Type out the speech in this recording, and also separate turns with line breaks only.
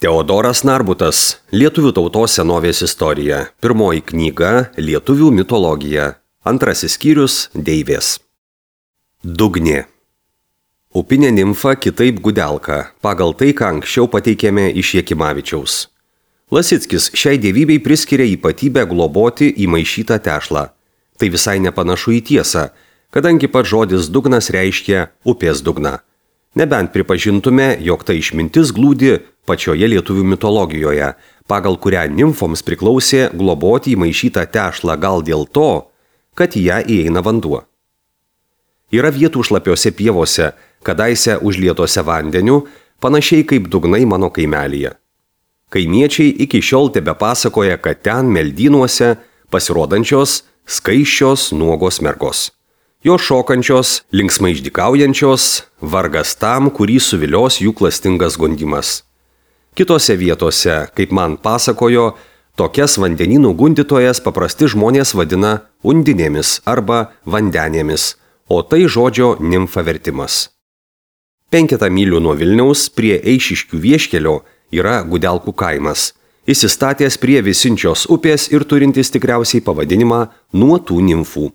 Teodoras Narbutas, Lietuvių tautos senovės istorija. Pirmoji knyga Lietuvių mitologija. Antrasis skyrius Deivės. Dugnė. Upinė nimfa kitaip Gudelka, pagal tai, ką anksčiau pateikėme iš Jakimavičiaus. Lasickis šiai dievybei priskiria ypatybę globoti įmaišytą tešlą. Tai visai nepanašu į tiesą, kadangi pats žodis dugnas reiškia upės dugną. Nebent pripažintume, jog ta išmintis glūdi pačioje lietuvių mitologijoje, pagal kurią nimfoms priklausė globoti įmaišytą tešlą gal dėl to, kad į ją įeina vanduo. Yra vietų šlapiose pievose, kadaise užlietose vandeniu, panašiai kaip dugnai mano kaimelyje. Kaimiečiai iki šiol tebepasakoja, kad ten meldynuose pasirodančios skaisčios nuogos mergos. Jos šokančios, linksmai išdykaujančios, vargas tam, kurį suvilios jų klastingas gundimas. Kitose vietose, kaip man pasakojo, tokias vandenynų gundytojas paprasti žmonės vadina undinėmis arba vandenėmis, o tai žodžio nimfa vertimas. 5 mylių nuo Vilniaus prie Eišiškių vieškelio yra Gudelkų kaimas, įsistatęs prie Visinčios upės ir turintis tikriausiai pavadinimą nuo tų nimfų.